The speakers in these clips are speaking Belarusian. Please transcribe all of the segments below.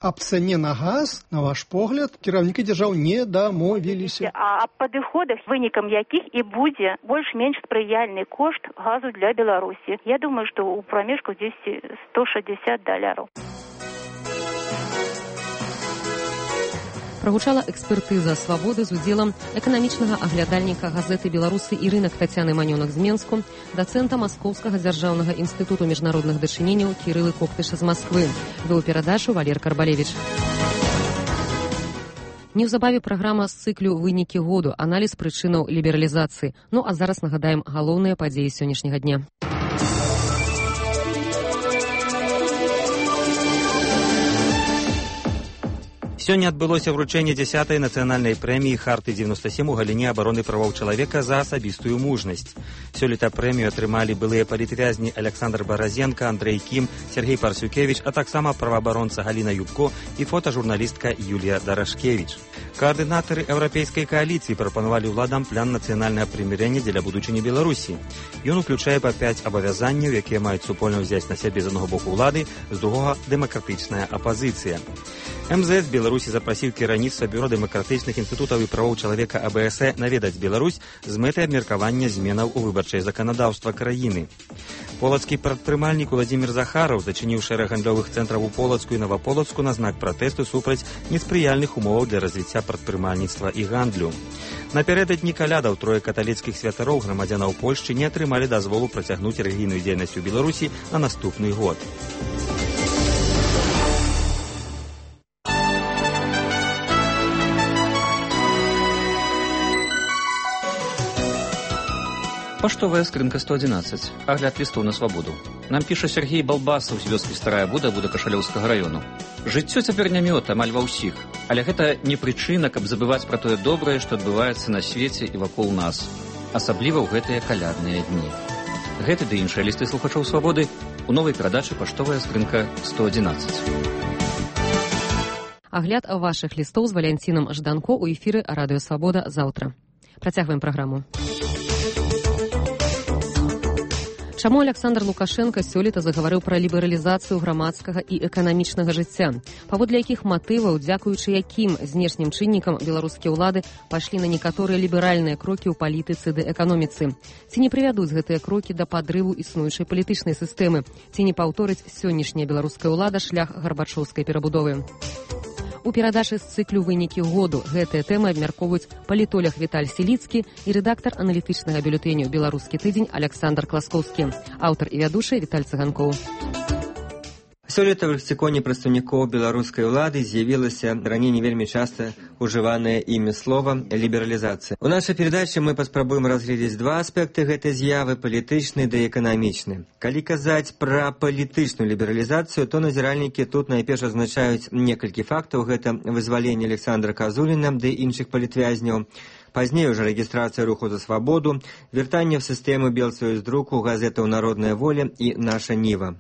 Аб цане на газ, на ваш погляд, кіраўнікі дзяржаў не дамовіліся. А аб падыходах, вынікам якіх і будзе больш-менш спрыяльны кошт газу для Беларусі. Я думаю, што ў прамежку $160. Прагучала экспертыза «Свабоды» з удзелам эканамічнага аглядальніка газеты «Беларусы» і рынак Тацяны Манёнак з Менску, дацэнта Маскоўскага дзяржаўнага інстытуту міжнародных дачыненняў Кірылы Коптыша з Масквы. Вёў перадачу Валер Карбалевіч. Неўзабаве праграма з цыклю «Вынікі году», аналіз прычынаў лібералізацыі. Ну а зараз нагадаем галоўныя падзеі сённяшняга дня. Сёння адбылося вручэнне 10-й нацыянальнай прэміі «Харты-97» у галіне абароны правоў чалавека за асабістую мужнасць. Сёлета прэмію атрымалі былыя палітвязні Александр Баразенко, Андрэй Кім, Сергей Парсюкевіч, а таксама праваабаронца Галіна Юбко і фотажурналістка Юлія Дарашкевіч. Коаардынатары еўрапейскай кааліцыі прапанавалі ўладам план нацыянальнага прымірэння дзеля будучыні Беларусі. Ён уключае па 5 абавязанняў, якія маюць супольна ўзяць на сябе з аднаго боку ўлады, з другога дэмакратычная апазіцыя. МЗС Беларусі запрасіў кіраўніцтва бюро дэмакратычных інстытутаў і правоў чалавека АБС наведаць Беларусь з мэтай абмеркавання зменаў у выбарчае заканадаўства краіны. Полацкі прадпрымальнік Уладзімір Захараў зачыніў шэраг гандлёвых цэнтраў у Полацку і Новаполацку на знак пратэсту супраць неспрыяльных умоваў для развіцця прадпрымальніцтва і гандлю. Напярэдадні калядаў трое каталіцкіх святароў грамадзянаў Польшчы не атрымалі дазволу працягнуць рэлігійную дзейнасць у Беларусі на наступны год. Паштовая скрынка 111. Агляд лістоў на свабоду. Нам піша Сергей Балбасаў з вёскі Старая Буда Кашалёўскага раёну. Жыццё цяпер не мёд амаль ва ўсіх, але гэта не прычына, каб забываць пра тое добрае, што адбываецца на свеце і вакол нас, асабліва ў гэтыя калядныя дні. Гэты ды іншыя лісты слухачоў свабоды у новай перадачы «Паштовая скрынка 111». Агляд вашых лістоў з Валянцінам Жданко ў эфіры Радыё Свабода заўтра. Працягваем праграму. Чаму Александр Лукашенко сёлета загаварыў пра лібералізацыю грамадскага і эканамічнага жыцця? Паводле якіх матываў, дзякуючы якім знешнім чыннікам беларускія ўлады пайшлі на некаторыя ліберальныя крокі ў палітыцы ды эканоміцы? Ці не прывядуць гэтыя крокі да падрыву існуючай палітычнай сістэмы? Ці не паўторыць сённяшняя беларуская ўлада шлях гарбачоўскай перабудовы? У перадачы з цыклю «Вынікі году» гэтыя тэмы абмяркоўваюць палітолог Віталь Селіцкі і рэдактар аналітычнага бюлетэню «Беларускі тыдзень» Александр Класкоўскі. Аўтар і вядучы Віталь Цыганкоў. Сёлета ў лексіконе прадстаўнікоў беларускай улады з'явілася раней не вельмі часта ўжыванае імі слова «лібералізацыя». У нашай перадачы мы паспрабуем разгледзець два аспекты гэтай з'явы – палітычны ды эканамічны. Калі казаць пра палітычную лібералізацыю, то назіральнікі тут найперш азначаюць некалькі фактаў. Гэта вызваленне Александра Казуліна ды іншых палітвязняў, пазней уже рэгістрацыя руху за свабоду, вяртанне в сістэму Белсоюздруку, газетаў «Народная воля» і «Наша Ніва».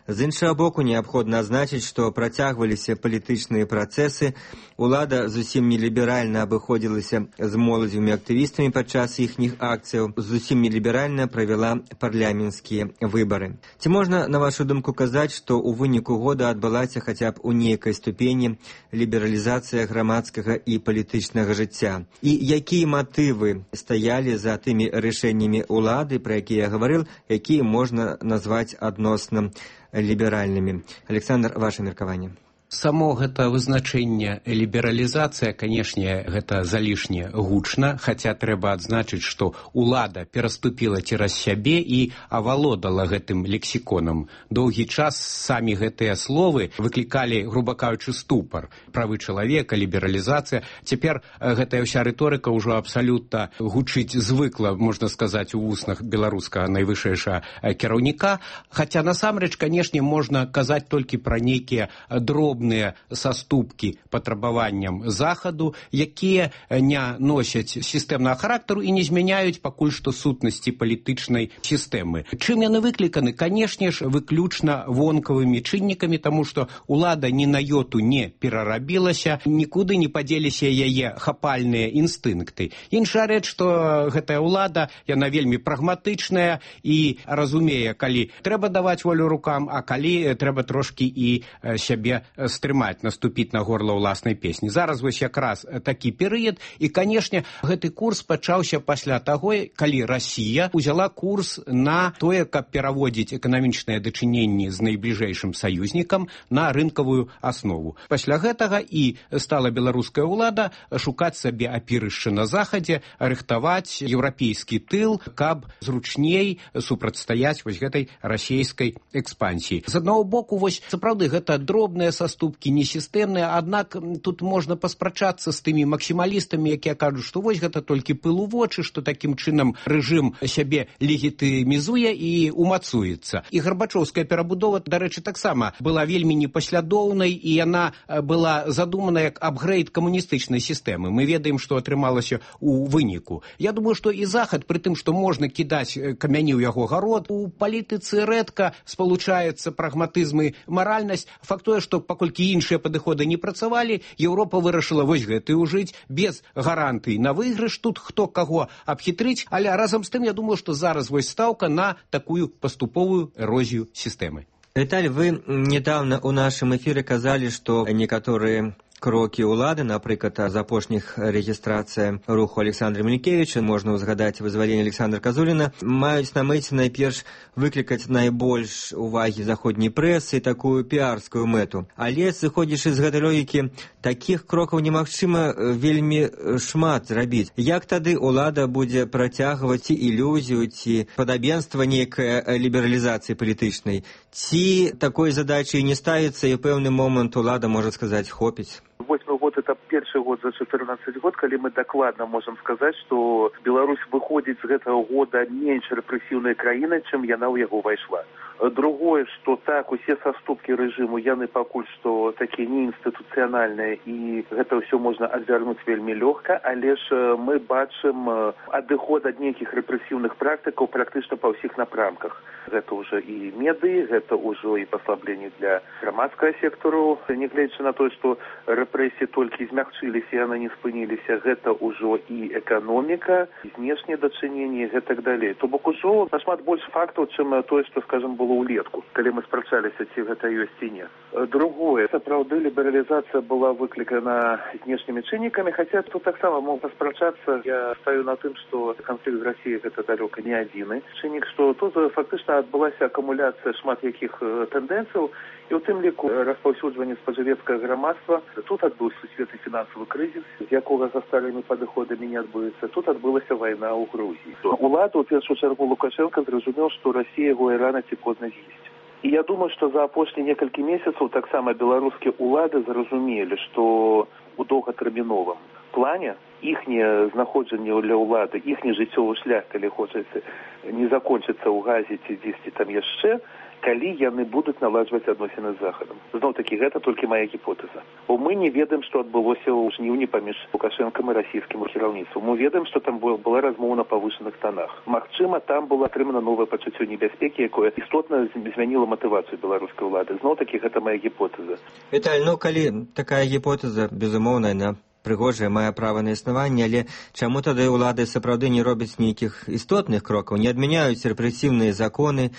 З іншага боку, неабходна адзначыць, што працягваліся палітычныя працэсы, улада зусім неліберальна абыходзілася з моладзевымі актывістамі падчас іхніх акцыяў, зусім неліберальна правяла парламенцкія выбары. Ці можна, на вашу думку, казаць, што ў выніку года адбылася хаця б у нейкай ступені лібералізацыя грамадскага і палітычнага жыцця? І якія матывы стаялі за тымі рашэннямі улады, пра якія я гаварыў, якія можна назваць адносна ліберальнымі? Александр, ваше меркаванне. Само гэта вызначэнне лібералізацыя, канешне, гэта залішне гучна, хаця трэба адзначыць, што ўлада пераступіла цераз сябе і авалодала гэтым лексіконам. Доўгі час самі гэтыя словы выклікалі, груба кажучы, ступар. Правы чалавека, лібералізацыя. Цяпер гэтая ўся рыторыка ўжо абсалютна гучыць звыкла, можна сказаць, у вуснах беларускага найвышэйшага кіраўніка. Хаця насамрэч, канешне, можна казаць толькі пра нейкія дробныя саступкі патрабаванням захаду, якія не носяць сістэмнага характару і не змяняюць пакуль што сутнасці палітычнай сістэмы. Чым яны выкліканы? Канешне ж, выключна вонкавымі чыннікамі, таму што ўлада ні на йоту не перарабілася, нікуды не падзеліся яе хапальныя інстынкты. Іншая рэч, што гэтая ўлада, яна вельмі прагматычная і разумее, калі трэба даваць волю рукам, а калі трэба трошкі і сябе стрымаць, наступіць на горла ўласнай песні. Зараз вось якраз такі перыяд, і, канешне, гэты курс пачаўся пасля таго, калі Расія узяла курс на тое, каб пераводзіць эканамічныя дачыненні з найбліжэйшым саюзнікам на рынкавую аснову. Пасля гэтага і стала беларуская ўлада шукаць сабе апірышча на захадзе, рыхтаваць еўрапейскі тыл, каб зручней супрацьстаяць вось гэтай расійскай экспансіі. З аднаго боку, вось сапраўды гэта дробныя саступкі, несістэмныя, аднак тут можна паспрачацца з тымі максімалістамі, якія кажуць, што вось гэта толькі пыл у вочы, што такім чынам рэжым сябе легітымізуе і умацуецца. І гарбачоўская перабудова, дарэчы, таксама была вельмі непаслядоўнай, і яна была задумана як апгрейд камуністычнай сістэмы. Мы ведаем, што атрымалася у выніку. Я думаю, што і Захад, пры тым, што можна кідаць камяні ў яго гарод, у палітыцы рэдка спалучаецца прагматызм і маральнасць. Факт тое, што паколькі іншыя падыходы не працавалі, Еўропа вырашыла вось гэты ўжыць без гарантый на выйгрыш, тут хто каго абхітрыць, але разам з тым, я думаю, што зараз вось стаўка на такую паступовую эрозію сістэмы. Віталь, вы недавно у нашым эфіры казалі, што некаторыя крокі ўлады, напрыклад, з апошніх рэгістрацыя руху Александра Мілікевіча, можна ўзгадаць вызваленне Александра Казуліна, маюць на мэце найперш выклікаць найбольш увагі заходняй прэсы і такую піарскую мэту. Але, сыходзячы з гэтай логікі, такіх крокаў немагчыма вельмі шмат зрабіць. Як тады ўлада будзе працягваць ці ілюзію, ці падабенства нейкай лібералізацыі палітычнай? Ці такой задачы не ставіцца, і ў пэўны момант улада можа сказаць «хопіць»? 8 год это першы год за 14 год, калі мы дакладна можам сказаць, што Беларусь выходзіць з гэтага года менш рэпрэсіўнай краінай, чым яна ў яго ўвайшла. Другое, што так, усе саступкі рэжыму, яны пакуль што такія неінстытуцыянальныя, і гэта ўсё можна адвярнуць вельмі лёгка, але ж мы бачым адыход ад нейкіх рэпрэсіўных практыкаў практычна па ўсіх напрамках. Гэта ўжо і медыі, гэта ўжо і паслабленне для грамадскага сектару, нягледзячы на тое, што рэпрэсіі толькі змягчыліся, яны не спыніліся, гэта ўжо і эканоміка, і знешнія дачыненні, і гэтак далей. То бок ужо нашмат больш фактаў, чым тое, што, скажам, было ўлетку, калі мы спрачаліся, ці гэта ёсць ці не. Другое, сапраўды лібералізацыя была выклікана знешнімі чыннікамі, хаця тут таксама можна спрачацца. Я стаю на тым, што канфлікт з Расіяй гэта далёка не адзіны чыннік, што тут фактычна адбылася акумуляцыя шмат якіх тэндэнцыяў, і ў тым ліку распаўсюджванне спажывецкага грамадства. Тут адбыўся сусветны фінансавы крызіс, з якога за старымі падыходамі не адбыецца. Тут адбылася вайна ў Грузіі. Улада, у першую чаргу Лукашенко, зразумеў, што Расія яго і рана ці позна з'есць. І я думаю, што за апошнія некалькі месяцаў таксама беларускія ўлады зразумелі, што у доўгатэрміновым плане іхняе знаходжанне для ўлады, іхні жыццёвы шлях, калі хочаце, не закончыцца ў Газе ці дзесьці там яшчэ, калі яны будуць наладжваць адносіны з Захадам. Зноў-такі, гэта толькі мая гіпотэза. Бо мы не ведаем, што адбылося ў жніўні паміж Лукашэнкам і расійскім кіраўніцтвам. Мы ведаем, што там была размова на павышаных тонах. Магчыма, там было атрымана новае пачуццё небяспекі, якое істотна змяніла матывацыю беларускай улады. Зноў-такі, гэта мая гіпотэза. Віталь, калі такая гіпотэза, безумоўна, яна прыгожая, мае права на існаванне, але чаму тады ўлады сапраўды не робяць нейкіх істотных крокаў, не адмяняюць рэпрэсіўныя законы,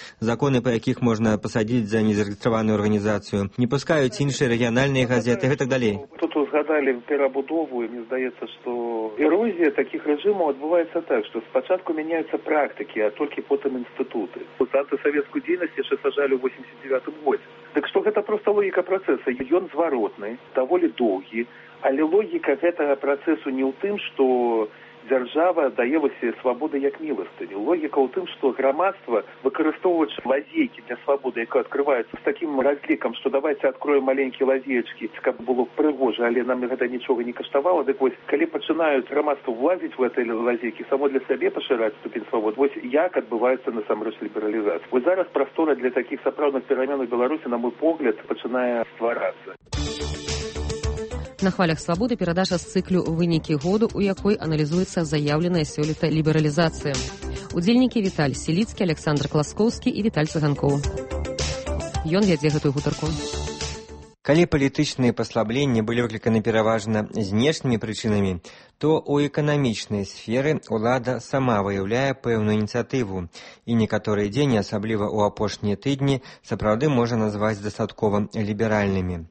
па якіх можна пасадзіць за незарэгістраваную арганізацыю, не пускаюць іншыя рэгіянальныя газеты і так далей. Тут узгадалі перабудову, і мне здаецца, што эрозія такіх рэжымаў адбываецца так, што спачатку мяняюцца практыкі, а толькі потым інстытуты. Антысавецкую дзейнасць яшчэ сажалі ў 89 годзе. Так што гэта проста логіка працэса. Ён зваротны, даволі доўгі, але логіка гэтага працэсу не ў тым, што дзяржава дае свабоды як міластыню. Логіка ў тым, што грамадства, выкарыстоўваючы лазейкі для свабоды, якая адкрываецца з такім разлікам, што давайте адкроем маленькія лазеечкі, каб было прыгожа, але нам гэта нічога не каштавала. Дык вось, калі пачынаюць грамадства влазіць в гэтай лазейкі, само для сябе пашыраць ступень свабод, вось як адбываецца насамрэч лібералізацыя. Вось зараз прастора для такіх сапраўдных перамен у Беларусі, на мой погляд, пачынае стварацца. На хвалях свабоды перадача з цыклю «Вынікі году», у якой аналізуецца заяўленая сёлета лібералізацыя. Удзельнікі Віталь Селіцкі, Александр Класкоўскі і Віталь Цыганкоў. Ён вядзе гэтую гутарку. Калі палітычныя паслабленні былі выкліканы пераважна знешнімі прычынамі, то ў эканамічнай сферы ўлада сама выяўляе пэўную ініцыятыву, і некаторыя дзені, асабліва ў апошнія тыдні, сапраўды можа назваць дастаткова ліберальнымі.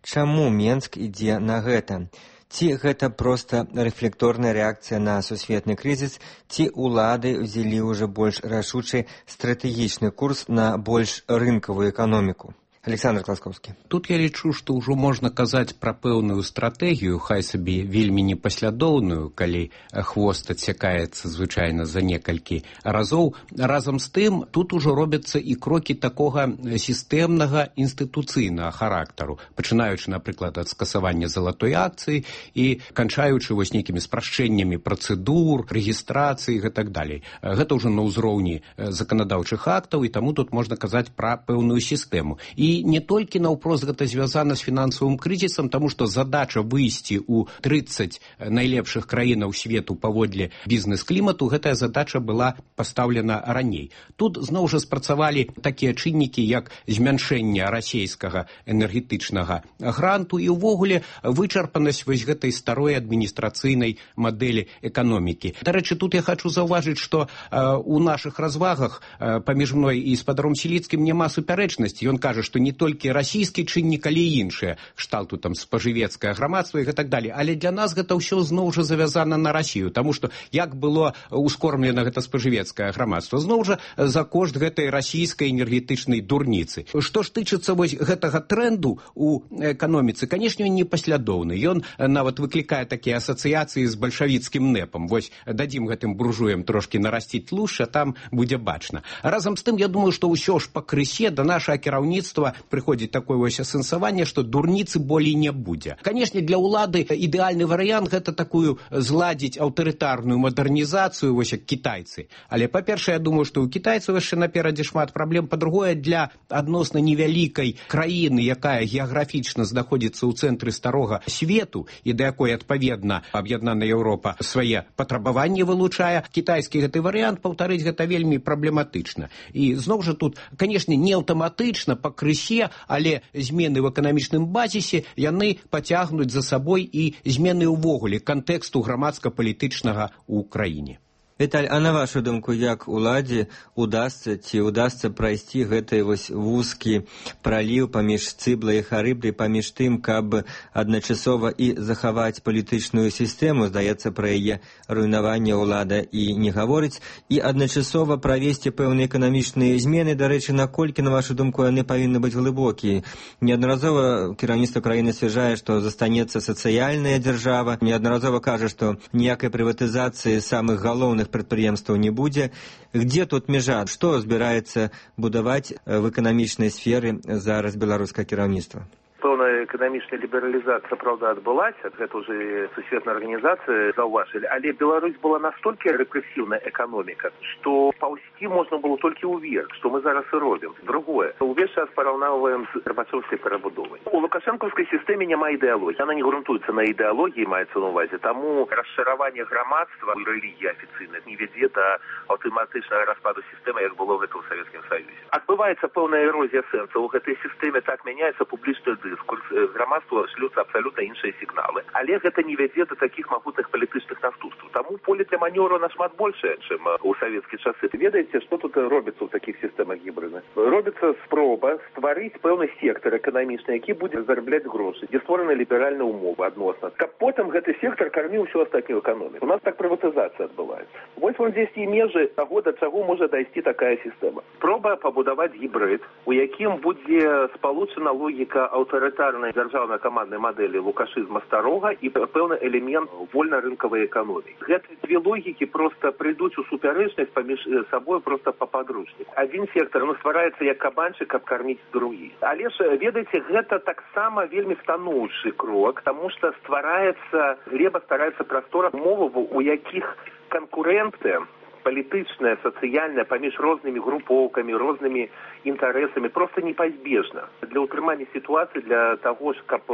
Чаму Менск ідзе на гэта? Ці гэта проста рэфлекторная рэакцыя на сусветны крызіс, ці ўлады ўзялі ўжо больш рашучы стратэгічны курс на больш рынкавую эканоміку? Александр Класкоўскі. Тут я лічу, што ўжо можна казаць пра пэўную стратэгію, хай сабе вельмі непаслядоўную, калі хвост адсякаецца звычайна за некалькі разоў. Разам з тым, тут ужо робяцца і крокі такога сістэмнага інстытуцыйнага характару, пачынаючы, напрыклад, ад скасавання залатой акцыі і канчаючы вось нейкімі спрашчэннямі працэдур, рэгістрацыі і гэтак далей. Гэта ўжо на ўзроўні заканадаўчых актаў, і таму тут можна казаць пра пэўную сістэму. І не толькі наўпрост гэта звязана з фінансавым крызісам, таму што задача выйсці ў 30 найлепшых краінаў свету паводле бізнес-клімату, гэтая задача была пастаўлена раней. Тут зноў жа спрацавалі такія чыннікі, як змяншэнне расійскага энергетычнага гранту і ўвогуле вычарпанасць вось гэтай старой адміністрацыйнай мадэлі эканомікі. Дарэчы, тут я хочу заўважыць, што у нашых развагах паміж мной і спадаром Сіліцкім няма супярэчнасці. Ён кажа, што не толькі расійскі чыннік, але і іншыя, кшталту там спажывецкае грамадства і гэтак далей. Але для нас гэта ўсё зноў жа завязана на Расію, таму што як было ускормлена гэта спажывецкае грамадства? Зноў жа за кошт гэтай расійскай энергетычнай дурніцы. Што ж тычыцца вось гэтага тренду у эканоміцы, канешне, ён непаслядоўны. Ён нават выклікае такія асацыяцыі з бальшавіцкім нэпам. Вось дадзім гэтым буржуям трошкі нарасціць тлушча, там будзе бачна. Разам з тым, я думаю, што ўсё ж пакрысе да нашага кіраўніцтва прыходзіць такое вось асэнсаванне, што дурніцы болей не будзе. Канешне, для ўлады ідэальны варыянт гэта такую зладзіць аўтарытарную мадэрнізацыю, вось як кітайцы. Але, па-першае, я думаю, што ў кітайцаў яшчэ наперадзе шмат праблем. Па-другое, для адносна невялікай краіны, якая геаграфічна знаходзіцца ў цэнтры старога свету і да якой, адпаведна, аб'яднаная Еўропа свае патрабаванні вылучае, кітайскі гэты варыянт, паўтарыць гэта вельмі праблематычна. І зноў жа тут, канешне, не аўтаматычна, пакрысе, але змены в эканамічным базісе яны пацягнуць за сабой і змены ўвогуле кантэксту грамадска-палітычнага ў краіне. Віталь, а на вашу думку, як уладзе удасца прайсці гэты вось вузкі праліў паміж Цыблай і Харыбдай, паміж тым, каб адначасова і захаваць палітычную сістэму, здаецца, пра яе руйнаванне ўлада і не гаворыць, і адначасова правесці пэўныя эканамічныя змены, дарэчы, наколькі, на вашу думку, яны павінны быць глыбокія? Неаднаразова кіраўніцтва краіны сцвярджае, што застанецца сацыяльная дзяржава, неаднаразова кажа, што ніякай прыватызацыі самых галоўных прадпрыемстваў не будзе. Где тут мяжа? Што збіраецца будаваць в эканамічнай сферы зараз беларускае кіраўніцтва? Пэўная эканамічная лібералізацыя, праўда, адбылася, гэта ўжо сусветная арганізацыя заўважылі, але Беларусь была настолькі рэпрэсіўная эканоміка, што паўсці можна было толькі ўверх, што мы зараз і робім. Другое, увесь час параўноўваем з гарбачоўскай перабудовай. У лукашэнкаўскай сістэме няма ідэалогіі, яна не грунтуецца на ідэалогіі, маецца на ўвазе, таму расшыраванне грамадства і рэлігіі афіцыйна не вядзе да аўтаматычнага распаду сістэмы, як было гэта ў Савецкім Саюзе. Адбываецца пэўная эрозія сэнса, у гэтай сістэме так мяняецца публічны дыскурс, грамадству шлюцца абсалютна іншыя сігналы. Але гэта не вядзе да такіх магутных палітычных наступстваў. Таму поле для манёвру нашмат большае, чым у савецкія часы. Ведаеце, што тут робіцца ў такіх сістэмах гібрыдных? Робіцца спроба стварыць пэўны сектар эканамічны, які будзе зарабляць грошы, дзе створаны ліберальныя ўмовы адносна. Каб потым гэты сектар карміў усю астатнюю эканоміку. У нас так прыватызацыя адбываецца. Вось вон здесь і межы таго, да чаго можа дайсці такая сістэма. Спроба пабудаваць гібрид, у якім будзе спалучана логіка аўтарытарнай дзяржаўна-каманднай мадэлі лукашызма старога і пэўны элемент вольна-рынкавай эканомікі. Гэтыя две логікі проста прыйдуць у супярэчнасць паміж сабой проста па падручніку. Адзін сектар ствараецца як кабанчык, каб карміць другі. Але ж, ведаеце, гэта таксама вельмі станоўчы крок, таму што ствараецца, глеба ствараецца прастора умоваў, у якіх канкурэнты палітычная, сацыяльная паміж рознымі групоўкамі, рознымі інтарэсамі проста непазбежна. Для ўтрымання сітуацыі, для таго ж, каб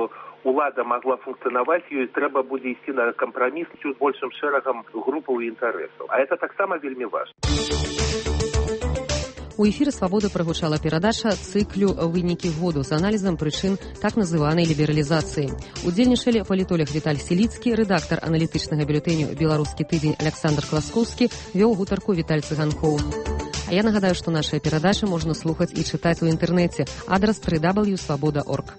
улада магла функцыянаваць, ёй трэба будзе ісці на кампраміс з большым шэрагам групаў і інтарэсаў. А гэта таксама вельмі важна. У эфіры «Свабода» прагучала перадача цыклю «Вынікі году» з аналізам прычын так называнай лібералізацыі. Удзельнічалі палітолог Віталь Сіліцкі, рэдактар аналітычнага бюлетэню «Беларускі тыдзень» Александр Класкоўскі, вёў гутарку Віталь Цыганкоў. А я нагадаю, што нашыя перадачы можна слухаць і чытаць у інтэрнэце. Адрас www.svoboda.org.